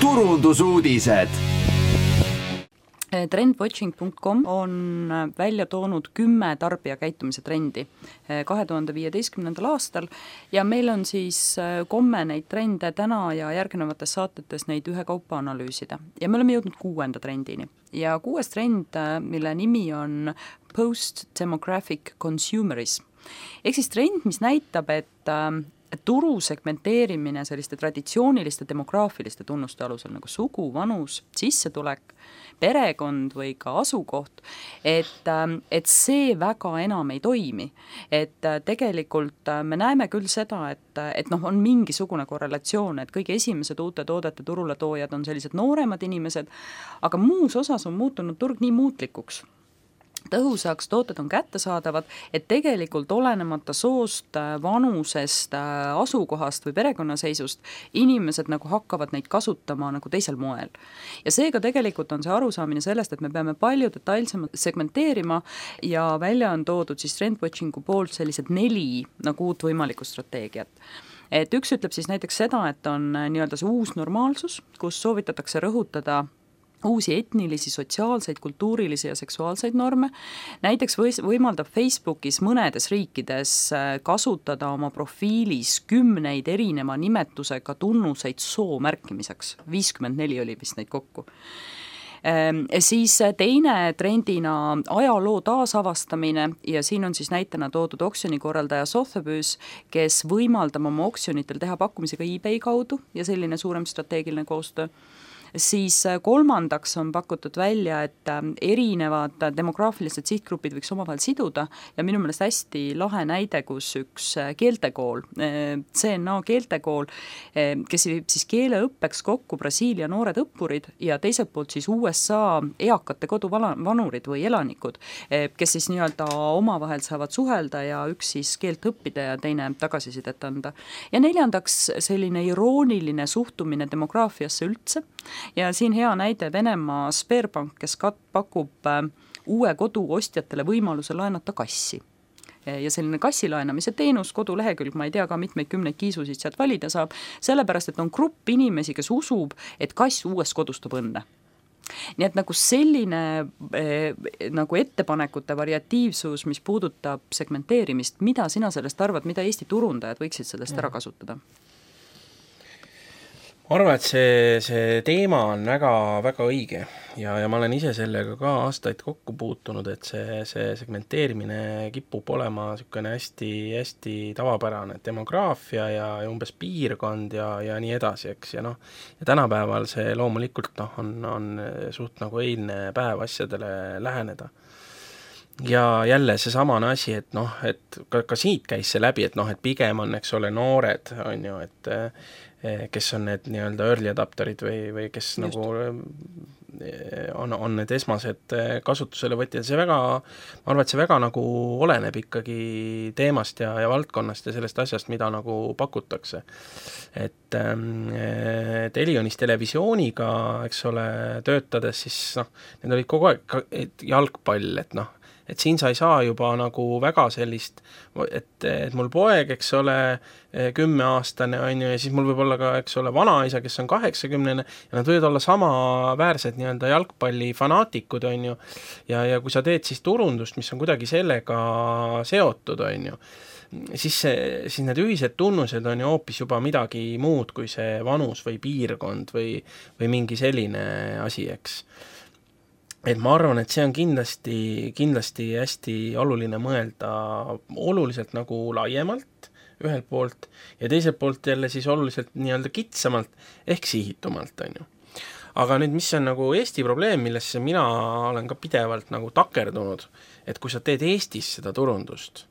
turundusuudised. Trendwatching.com on välja toonud 10 tarbijakäitumise trendi 2015. aastal ja meil on siis komme neid trende täna ja järgnevates saatetes neid ühekaupa analüüsida. Ja me oleme jõudnud 6. trendini. Ja 6. trend, mille nimi on post-demographic consumerism. Ehk siis trend, mis näitab, et turu segmenteerimine selliste traditsiooniliste demograafiliste tunnuste alusel nagu sugu, vanus, sissetulek, perekond või ka asukoht, et see väga enam ei toimi. Et tegelikult me näeme küll seda, et on mingisugune korrelatsioon, et kõige esimesed uute toodete turule toojad on sellised nooremad inimesed, aga muus osas on muutunud turg nii muutlikuks. Tõhusaks tooted on kättesaadavad, et tegelikult olenemata soost, vanusest, asukohast või perekonnaseisust inimesed nagu hakkavad neid kasutama nagu teisel moel. Ja seega tegelikult on see arusaamine sellest, et me peame palju detailsemalt segmenteerima ja välja on toodud siis Trendwatchingu poolt sellised 4 nagu uut võimalikku strateegiat. Et üks ütleb siis näiteks seda, et on nii-öelda see uus normaalsus, kus soovitatakse rõhutada uusi etnilisi, sotsiaalseid, kultuurilisi ja seksuaalseid norme. Näiteks võimaldab Facebookis mõnedes riikides kasutada oma profiilis 10 erineva nimetusega tunnuseid soo märkimiseks. 54 oli vist neid kokku. Siis teine trendina ajaloo taasavastamine ja siin on siis näitena toodud oksjonikorraldaja Sotheby's, kes võimaldab oma oksjonitel teha pakkumisega eBay kaudu ja selline suurem strateegiline koostöö. Siis kolmandaks on pakutud välja, et erinevad demograafilised sihtgrupid võiks omavahel siduda ja minu meelest hästi lahe näide, kus üks keeltekool, CNA keeltekool, kes viib siis keeleõppeks kokku Brasiilia noored õppurid ja teiselt poolt siis USA eakate koduvanurid või elanikud, kes siis nii-öelda omavahel saavad suhelda ja üks siis keelt õppida ja teine tagasisidet anda. Ja neljandaks selline irooniline suhtumine demograafiasse üldse. Ja siin hea näide Venemaa Sberbank, kes pakub uue kodu ostjatele võimaluse laenata kassi. Ja selline kassi laenamise teenus, kodulehekülg, ma ei tea ka mitmeid 10 kiisusid sealt valida saab, sellepärast, et on grupp inimesi, kes usub, et kass uues kodus toob õnne. Nii et nagu selline nagu ettepanekute variatiivsus, mis puudutab segmenteerimist, mida sina sellest arvad, mida Eesti turundajad võiksid sellest ära kasutada? Ma arvan, et see teema on väga, väga õige ja ma olen ise sellega ka aastaid kokku puutunud, et see segmenteerimine kipub olema niisugune hästi, hästi tavapärane demograafia ja umbes piirkond ja nii edasi, eks. Ja tänapäeval see loomulikult on suht nagu eilne päev asjadele läheneda. Ja jälle see samane asi, et ka siit käis see läbi, et pigem on, eks ole, noored, on ju, et kes on need nii-öelda early adapterid või kes just nagu on need esmased kasutusele võtjad. See väga, ma arvan, et see väga nagu oleneb ikkagi teemast ja valdkonnast ja sellest asjast, mida nagu pakutakse. Et Elionis televisiooniga, eks ole, töötades, siis need olid kogu aeg jalgpall, et siin sa ei saa juba nagu väga sellist, et mul poeg, eks ole, 10-aastane on ju, ja siis mul võib olla ka, eks ole, vanaisa, kes on 80 ja nad võivad olla samaväärsed nii-öelda jalgpallifanaatikud, on ju, ja kui sa teed siis turundust, mis on kuidagi sellega seotud, on ju, siis need ühised tunnused on ju hoopis juba midagi muud kui see vanus või piirkond või mingi selline asi, eks. Et ma arvan, et see on kindlasti hästi oluline mõelda oluliselt nagu laiemalt ühelt poolt ja teiselt poolt jälle siis oluliselt nii-öelda kitsamalt ehk sihitumalt, on ju. Aga nüüd, mis on nagu Eesti probleem, millesse mina olen ka pidevalt nagu takerdunud, et kui sa teed Eestis seda turundust,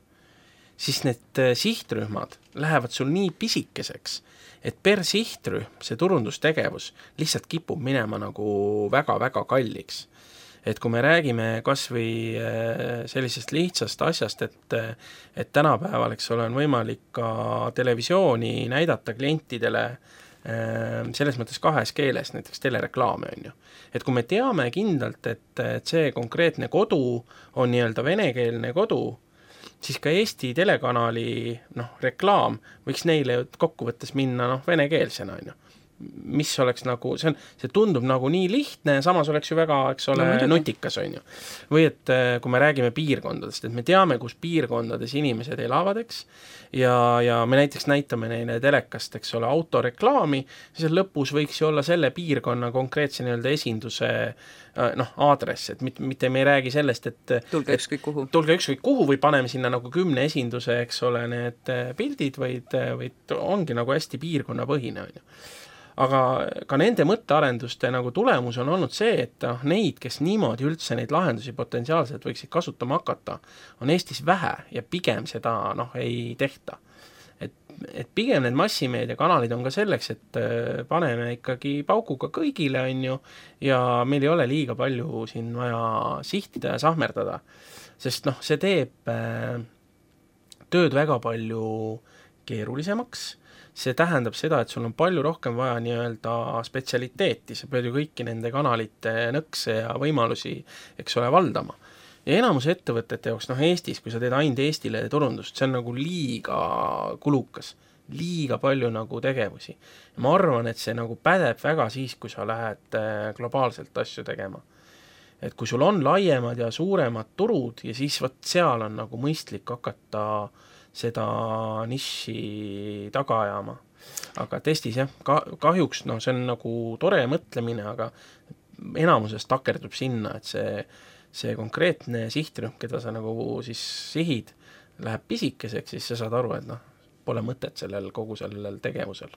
siis need sihtrühmad lähevad sul nii pisikeseks, et per sihtrühm see turundustegevus lihtsalt kipub minema nagu väga-väga kalliks. Et kui me räägime kas või sellisest lihtsast asjast, et tänapäeval, eks ole, on võimalik ka televisiooni näidata klientidele selles mõttes 2 keeles, näiteks telereklaame on ju. Et kui me teame kindlalt, et see konkreetne kodu on nii-öelda venekeelne kodu, siis ka Eesti telekanali reklaam võiks neile kokkuvõttes minna venekeelsena on ju. mis oleks nagu, see tundub nagu nii lihtne ja samas oleks ju väga, eks ole, nutikas, on ju. Või et kui me räägime piirkondadest, et me teame, kus piirkondades inimesed elavad, eks, ja me näiteks näitame neile telekast, eks ole, autoreklaami, siis lõpus võiks ju olla selle piirkonna konkreetse nii-öelda esinduse aadress, et mitte me ei räägi sellest, et tulge ükskõik kuhu või paneme sinna nagu 10 esinduse, eks ole, need pildid, vaid ongi nagu hästi piirkonnapõhine, on ju. Aga ka nende mõttearenduste nagu tulemus on olnud see, et neid, kes niimoodi üldse neid lahendusi potentsiaalselt võiksid kasutama hakata, on Eestis vähe ja pigem seda ei tehta. Et pigem need massimeediakanalid on ka selleks, et paneme ikkagi paukuga kõigile, on ju, ja meil ei ole liiga palju siin vaja sihtida ja sahmerdada, sest see teeb tööd väga palju keerulisemaks. See tähendab seda, et sul on palju rohkem vaja nii-öelda spetsialiteeti, sa pead ju kõiki nende kanalite nõkse ja võimalusi, eks ole, valdama. Ja enamus ettevõtete jaoks, Eestis, kui sa teed ainult Eestile turundust, see on nagu liiga kulukas, liiga palju nagu tegevusi. Ja ma arvan, et see nagu pädeb väga siis, kui sa lähed globaalselt asju tegema. Et kui sul on laiemad ja suuremad turud ja siis seal on nagu mõistlik hakata seda niši taga ajama. Aga testis kahjuks see on nagu tore mõtlemine, aga enamuses takerdub sinna, et see konkreetne sihtrühm, keda sa nagu siis sihid, läheb pisikeseks, siis sa saad aru, et pole mõtet kogu sellel tegevusel.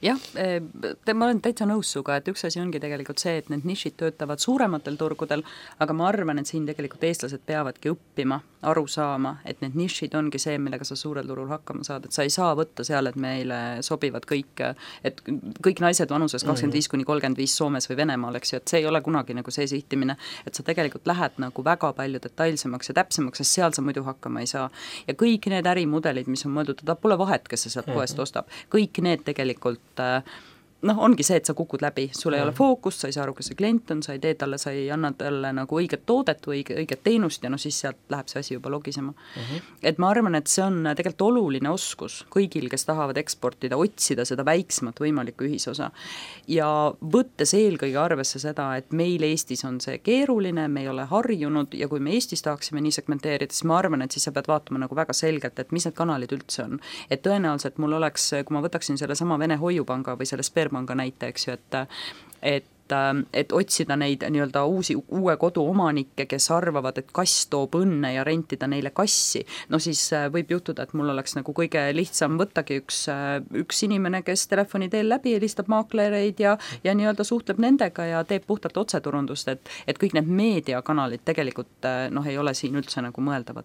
Jah, ma olen täitsa nõus suga, et üks asi ongi tegelikult see, et need nišid töötavad suurematel turgudel, aga ma arvan, et siin tegelikult eestlased peavadki õppima, aru saama, et need nišid ongi see, millega sa suurel turul hakkama saad, et sa ei saa võtta seal, et meile sobivad kõik naised vanuses 25-35 Soomes või Venemaal, eks ju, et see ei ole kunagi nagu see sihtimine, et sa tegelikult lähed nagu väga palju detailsemaks ja täpsemaks, sest seal sa muidu hakkama ei saa. Ja kõik need ärimudelid, mis on mõeldud, pole vahet, kes sa sealt poest ostab, kõik need tegelikult ongi see, et sa kukud läbi, sul ei ole fookust, sa ei saa aru, kes see klient on, sa ei tee talle, sa ei anna talle nagu õiget toodet või õiget teenust ja siis sealt läheb see asi juba logisema. Et ma arvan, et see on tegelikult oluline oskus kõigil, kes tahavad eksportida, otsida seda väiksemat võimalikku ühisosa ja võttes eelkõige arvesse seda, et meil Eestis on see keeruline, me ei ole harjunud ja kui me Eestis tahaksime nii segmenteerida, siis ma arvan, et siis sa pead vaatama nagu väga selgelt, et mis need kanalid üldse on. Et tõenäoliselt mul oleks, kui ma võtaksin selle sama Vene Hoiupanga või selle Sberbanka näite, eks ju, et otsida neid nii-öelda uue kodu omanikke, kes arvavad, et kass toob õnne ja rentida neile kassi, siis võib juhtuda, et mul oleks nagu kõige lihtsam võttagi üks inimene, kes telefoni teel läbi helistab maaklereid ja nii-öelda suhtleb nendega ja teeb puhtalt otseturundust, et kõik need meediakanalid tegelikult ei ole siin üldse nagu mõeldavad.